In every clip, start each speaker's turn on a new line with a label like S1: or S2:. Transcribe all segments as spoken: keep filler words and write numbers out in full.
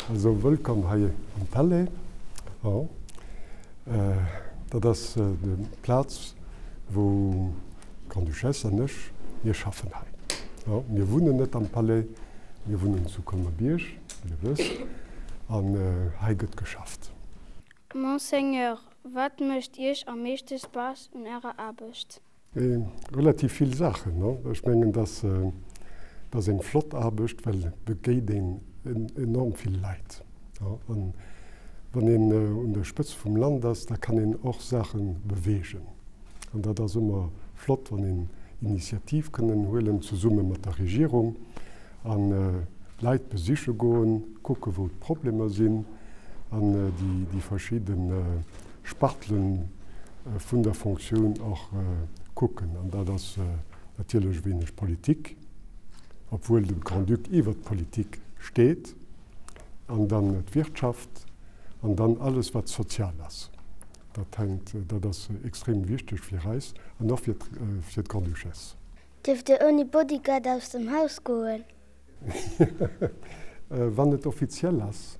S1: Also wëllkomm hei am Palais. Jo, dat ass déi Plaz, wou d'Grande-Duchesse an ech, mir schaffen hei. Jo, mir wunnen net am Palais, mir wunnen zu Colmer-Bierg, wéi Dir wësst, an hei gëtt geschafft.
S2: Monseigneur, wat mécht Iech am meeschte Spaass un Ärer Aarbecht?
S1: Relativ vill Saachen. Ech mengen, dass dat ass eng flott Aarbecht, well et begéint een enorm vill Leit. An wann een un der Spëtzt vum Land ass, da kann een och Saache beweegen. An dat ass ëmmer flott, wann een Initiativ kënnen huelen, zesumme mat der Regierung, an Leit besiche goen, kucke wou d'Problemer sinn an déi verschidde Spartelen vun der Fonctioun och kucken. An dat ass natierlech e wéineg Politik, obwuel de Grand-Duc iwwer d'Politik steet, an dann d'Wirtschaft an dann alles wat sozial ass. Dat hänkt, dat ass extrem wichteg fir eis an och fir fir d'Grande-Duchesse.
S2: Dierft Dir ouni Bodyguard aus dem Haus goen?
S1: Wann et offiziell ass,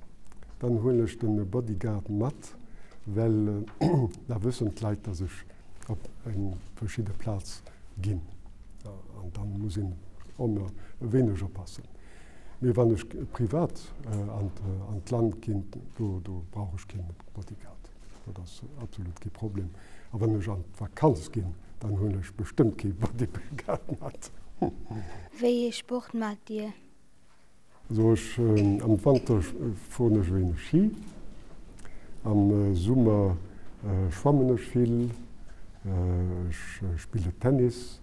S1: dann huelen ech de Bodyguard mat, well da wëssen d'Leit, dass ech op eng verschidde Plaz ginn. An dann muss een ëmmer e wéineg oppassen. Mee wann ech privat an d'Land ginn, do do brauch ech kee Bodyguard. Dat ass absolut kee Problem. A wann ech an d'Vakanz ginn, dann huelen ech bestëmmt kee Bodyguard mat.
S2: Wéi ee Sport maacht Dir?
S1: Also ech am Wanter fueren ech e wéineg Ski, am Summer schwammen ech vill, ech spille Tennis,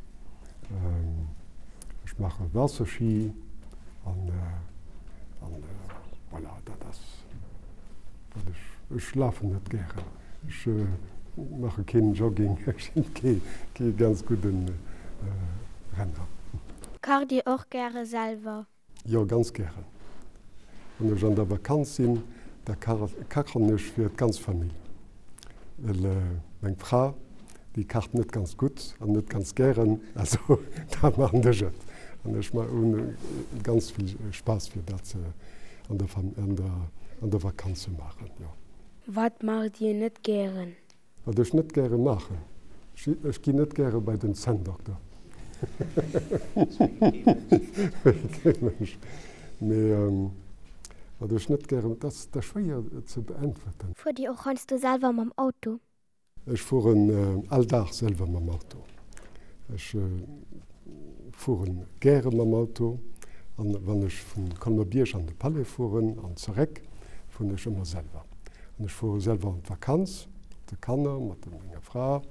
S1: ech maache Waasserschi an an voilà, dat ass wat ech, ech lafen net gären, ech maache keen Jogging, ech sinn kee kee ganz gudde Renner.
S2: Kacht Dir och gäre selwer?
S1: Jo, ganz gären. Wann ech an der Vakanz sinn, da kachen ech fir d'ganz Famill, well meng Fra, déi kacht net ganz gutt an net ganz gären, also da maachen ech et. An ech hunn ganz vill Spaass fir dat an der an der an der Vakanz ze maachen, jo.
S2: Wat maacht Dir net gären?
S1: Wat ech net gäre maachen? Ech ginn net gäre bei den Zänndokter. Wéi kee Mënsch. Mee wat ech net gäre, dat ass schwéier ze beäntwerten.
S2: Fuert Dir och heiansdo selwer mam Auto?
S1: Ech fueren all Dag selwer mam Auto. Ech fuere gäre mam Auto an wann ech vu Colmer-Bierg an de Palais fueren an zeréck, fueren ech ëmmer selwer. An ech fuere selwer an d'Vakanz mat de Kanner, mat menger Fra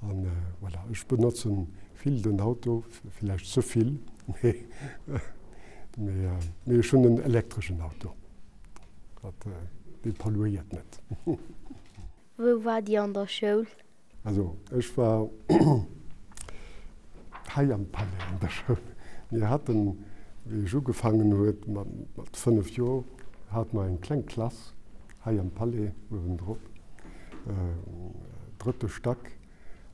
S1: an voilà. Ech benotze vill den Auto, villäicht ze vill, mee mee ech hunn en elektreschen Auto, dat dee polluéiert net.
S2: Wou waart Dir an der Schoul?
S1: Also ech war hei am Palais an der Schoul. Mir haten, wéi ech ugefaangen huet mat fënnef Joer, hate mer eng kleng Klass hei am Palais uewendrop, drëtte Stack,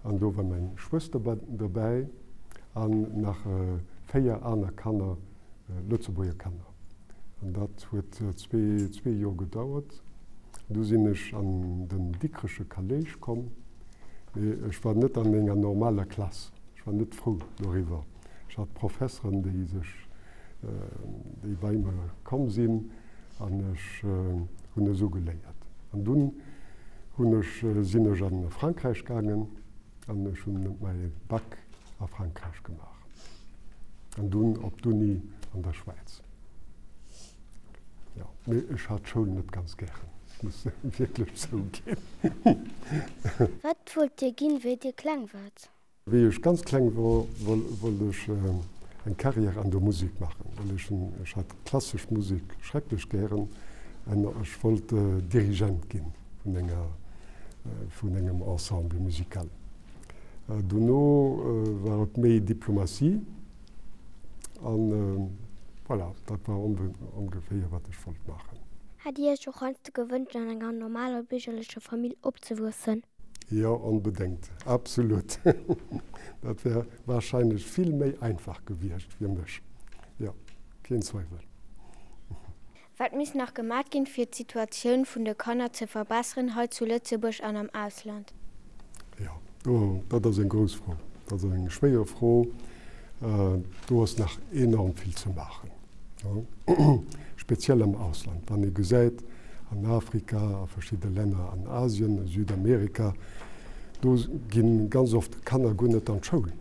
S1: an do war meng Schwëster dobäi an nach véier aner Kanner, Lëtzebuerger Kanner. An dat huet zwee, zwee Joer gedauert. Du sinn ech an den Dikrecher Kolléisch komm, mee ech war net an enger normaler Klass. Ech war net frou doriwwer. Ech hat Professeren, déi sech, déi bei mer komm sinn an ech hunn esou geléiert. An dunn hunn ech, sinn ech a Frankräich gaangen an ech hunn mäi Bac a Frankräich gemaach an dunn op d'Uni an der Schwäiz. Jo, mee ech hat d'Schoul net ganz gären, ech muss wierklech zouginn.
S2: Wat wollt Dir ginn, wéi Dir kleng waart?
S1: Wéi ech ganz kleng wor, wollt ech eng Carrière an der Musek maachen, well ech hunn, ech hat klassesch Musek schrecklech gären an ech wollt Dirigent ginn vun enger, vun engem Ensemble musical. Dono war et méi Diplomatie an voilà, dat war ongeféier wat ech wollt maachen.
S2: Hätt Dir Iech och heiansdo gewënscht an enger normaler biergerlecher Famill opzewuessen?
S1: Jo, onbedéngt, absolut. Dat wär warscheinlech vill méi einfach gewiescht fir mech, jo, keen Zweiwel.
S3: Wat misst nach gemaach ginn, fir d'Situatioun vun de Kanner ze verbesseren, hei zu Lëtzebuerg an am Ausland?
S1: Jo, do, dat ass eng grouss Fro. Dat ass eng schwéier Fro. Do ass nach enorm vill ze maachen, speziell am Ausland. Wann ee gesäit, an Afrika, a verschidde Länner an Asien, a Südamerika, do gi ganz oft Kanner guer net an d'Schoul.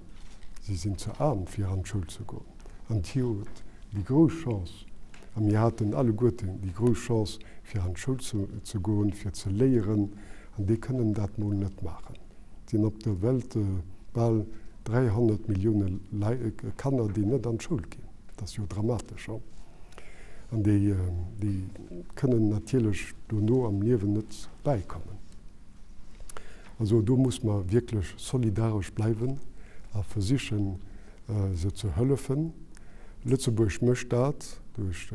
S1: Si sinn ze aarm, fir an d'Schoul ze goen. An déi huet déi grouss Chance, a mir haten alleguerten déi grouss Chance, fir an d'Schoul ze goen, fir ze léieren, an déi kënnen dat mol net maachen. Et sinn op der Welt bal dräihonnert Millioune Kanner, déi net an d'Schoul ginn. Dat ass jo dramatesch. An déi kënnen natierlech dono am Liewen net bäikommen. Also do muss mer wierklech solidaresch bleiwen a versichen, se ze hëllefen. Lëtzebuerg mécht dat duerch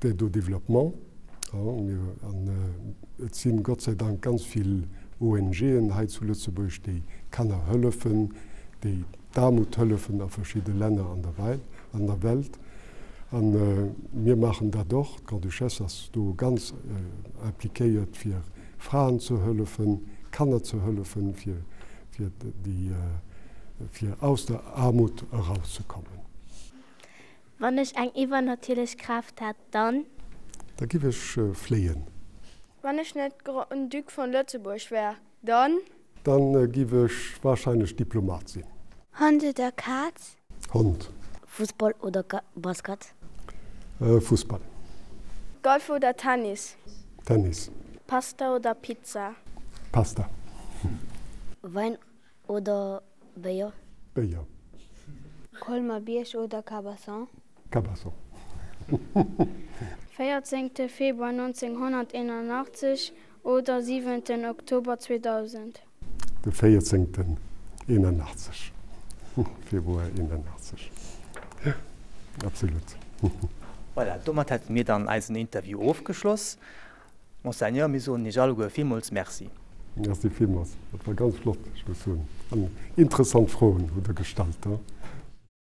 S1: d'Aide au développement. An et si Gott sei Dank ganz vill ONGen hei zu Lëtzebuerg, déi Kanner hëllefen, déi d'Aarmut hëllefen a verschidde Länner an der Welt. A mir maachen dat och. D'Grande-Duchesse ass do ganz impliquéiert, fir Fraen ze hëllefen, Kanner ze hëllefen, fir fir aus der Aarmut erauszekommen.
S3: Wann ech eng iwwernatierlech Kraaft hätt, dann?
S1: Da giff ech fléien.
S2: Wann ech net Grand-Duc vun Lëtzebuerg wär, dann?
S1: Dann giff ech wahrscheinlech Diplomat sinn.
S3: Hond oder Kaz?
S1: Hond.
S3: Fussball oder Basket?
S1: Fussball.
S2: Golf oder Tennis?
S1: Tennis.
S2: Pasta oder Pizza?
S1: Pasta.
S3: Wäin oder Béier?
S1: Béier.
S3: Colmer-Bierg oder Cabasson?
S1: Cabasson.
S2: Véierzéngte Februar nonzénghonnerteenanachtzeg oder siwenten Oktober zweedausend?
S1: De véierzéngten eenanachtzeg, Februar eenanachtzeg, jo, absolut.
S4: Voilà, domat hätte mir dann eisen Interview ofgeschloss. Monseigneur, mir soen Iech alleguer villmools Merci.
S1: Merci villmools, dat war ganz flott, ech muss soen. An interessant Froen hutt Der gestallt.